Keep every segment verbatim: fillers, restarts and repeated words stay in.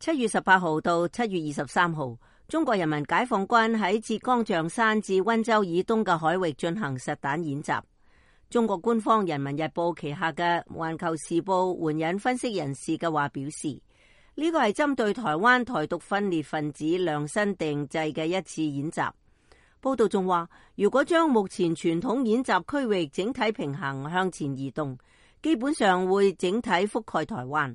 七月十八號到七月二十三號，中國人民解放軍喺浙江象山至溫州以東嘅海域進行實彈演習。中國官方《人民日報》旗下嘅《環球時報》援引分析人士嘅話表示，呢個係針對台灣台獨分裂分子量身定製嘅一次演習。報道仲話，如果將目前傳統演習區域整體平衡向前移動，基本上會整體覆蓋台灣。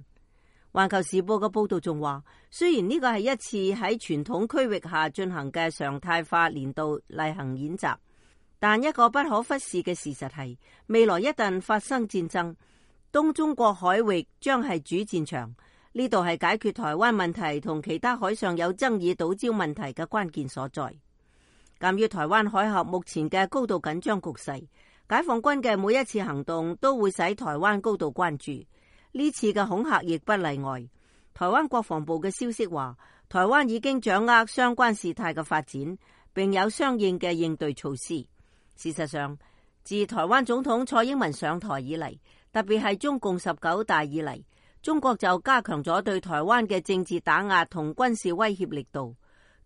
環球時報嘅報道仲話，雖然呢個係一次喺傳統區域下進行嘅常態化年度例行演習，但一個不可忽視嘅事實係，未來一旦發生戰爭，東中國海域將係主戰場。呢度係解決台灣問題同其他海上有爭議島礁問題嘅關鍵所在。鑒於台灣海峽目前嘅高度緊張局勢，解放軍嘅每一次行動都會使台灣高度關注。呢次嘅恐嚇亦不例外。台灣國防部嘅消息話，台灣已經掌握相關事態嘅發展，並有相應嘅應對措施。事實上，自台灣總統蔡英文上台以嚟，特別係中共十九大以嚟，中國就加強咗對台灣嘅政治打壓同軍事威脅力度。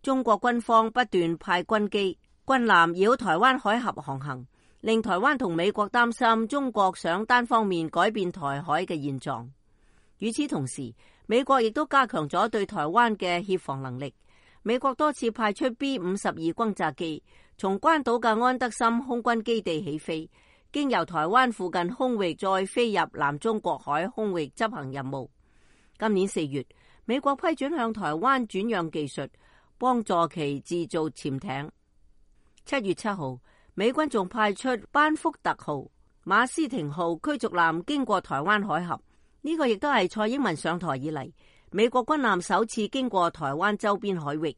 中國軍方不斷派軍機、軍艦繞台灣海峽航行，令台灣同美國擔心中國想單方面改變台海嘅現狀。與此同時，美國亦都加強咗對台灣嘅協防能力。美國多次派出 B 五十二轟炸機，從關島嘅安德森空軍基地起飛，經由台灣附近空域再飛入南中國海空域執行任務。今年四月，美國批准向台灣轉讓技術，幫助其製造潛艇。七月七號，美軍仲派出班福特號、馬斯廷號驅逐艦經過台灣海峽，呢、這個亦都係蔡英文上台以嚟，美國軍艦首次經過台灣周邊海域。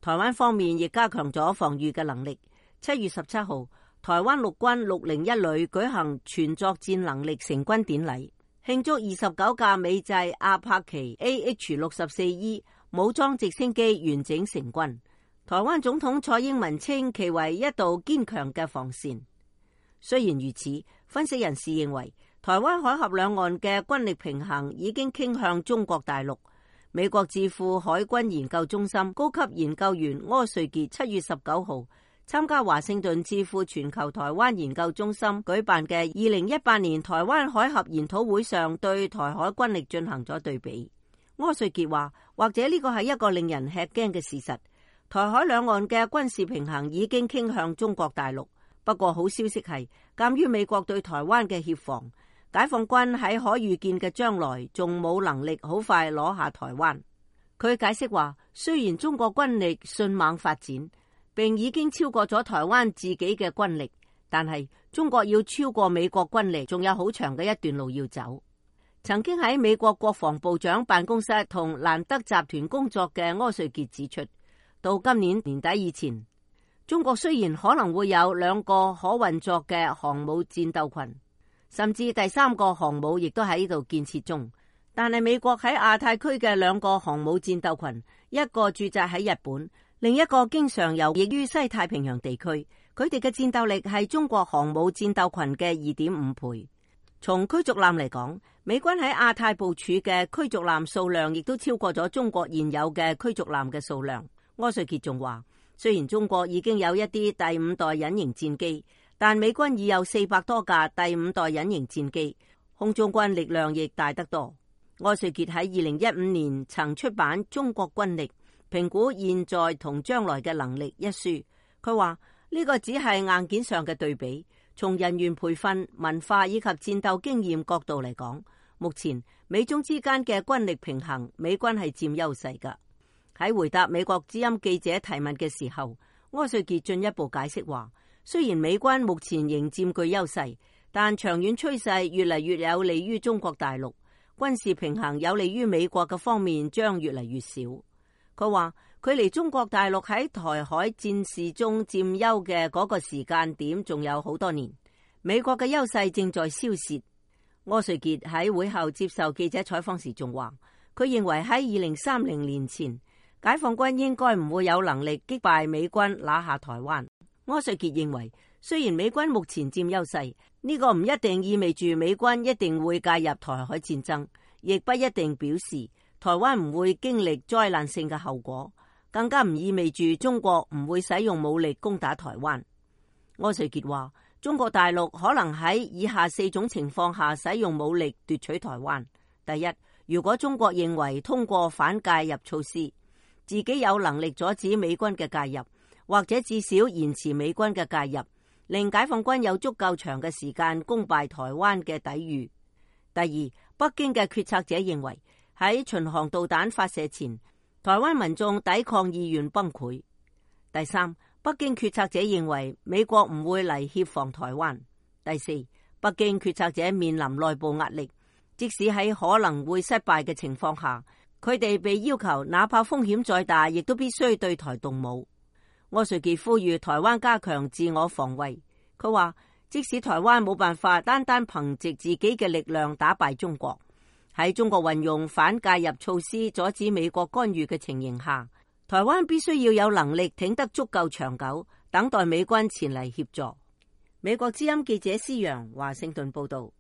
台灣方面亦加強咗防禦嘅能力。七月十七號，台灣陸軍六零一旅舉行全作戰能力成軍典禮，慶祝二十九架美製阿帕奇 A H 六十四 E 武裝直升機完整成軍。台灣總統蔡英文稱其為一道堅強嘅防線。雖然如此，分析人士認為，台灣海峽兩岸嘅軍力平衡已經傾向中國大陸。美國智庫海軍研究中心高級研究員柯瑞傑七月十九號參加華盛頓智庫全球台灣研究中心舉辦嘅二零一八年台灣海峽研討會上，對台海軍力進行咗對比。柯瑞傑話，或者呢個係一個令人吃驚嘅事實。台海兩岸嘅軍事平衡已經傾向中國大陸。不過好消息係，鑒於美國對台灣嘅協防，解放軍喺可預見嘅將來仲冇能力好快攞下台灣。佢解釋話，雖然中國軍力迅猛發展，並已經超過咗台灣自己嘅軍力，但係中國要超過美國軍力，仲有好長嘅一段路要走。曾經喺美國國防部長辦公室同蘭德集團工作嘅柯瑞傑指出，到今年年底以前，中國雖然可能會有兩個可運作嘅航母戰鬥群，甚至第三個航母亦都喺呢度建設中，但係美國喺亞太區嘅兩個航母戰鬥群，一個駐紮喺日本，另一個經常游弋於西太平洋地區，佢哋嘅戰鬥力係中國航母戰鬥群嘅二點五倍。從驅逐艦嚟講，美軍喺亞太部署嘅驅逐艦數量亦都超過咗中國現有嘅驅逐艦嘅數量。柯瑞傑仲話，雖然中國已經有一啲第五代隱形戰機，但美軍已有四百多架第五代隱形戰機，空中軍力量亦大得多。柯瑞傑喺二零一五年曾出版《中國軍力評估現在同將來嘅能力》一書，佢話呢個只係硬件上嘅對比，從人員培訓、文化以及戰鬥經驗角度嚟講，目前美中之間嘅軍力平衡，美軍係佔優勢㗎。喺回答美國之音記者提問嘅時候，柯瑞傑進一步解釋話，雖然美軍目前仍佔據優勢，但長遠趨勢越嚟越有利於中國大陸，軍事平衡有利於美國嘅方面將越嚟越少。佢話距離中國大陸喺台海戰事中佔優嘅嗰個時間點仲有好多年，美國嘅優勢正在消蝕。柯瑞傑喺會後接受記者採訪時仲話，佢認為喺二零三零年前，解放軍應該唔會有能力擊敗美軍拿下台灣。柯瑞傑認為，雖然美軍目前佔優勢，呢個唔一定意味住美軍一定會介入台海戰爭，亦不一定表示台灣唔會經歷災難性嘅後果，更加唔意味住中國唔會使用武力攻打台灣。柯瑞傑話，中國大陸可能喺以下四種情況下使用武力奪取台灣。第一，如果中國認為通過反介入措施，自己有能力阻止美軍嘅介入，或者至少延遲美軍嘅介入，令解放軍有足夠長嘅時間攻敗台灣嘅抵禦。第二，北京嘅決策者認為喺巡航導彈發射前，台灣民眾抵抗意願崩潰。第三，北京決策者認為美國唔會嚟協防台灣。第四，北京決策者面臨內部壓力，即使喺可能會失敗嘅情況下，佢哋被要求哪怕風險再大，亦都必須對台動武。柯瑞傑呼籲台灣加強自我防衛。佢話，即使台灣冇辦法單單憑藉自己嘅力量打敗中國，喺中國運用反介入措施阻止美國干預嘅情形下，台灣必須要有能力挺得足夠長久，等待美軍前嚟協助。美國之音記者施洋華盛頓報道。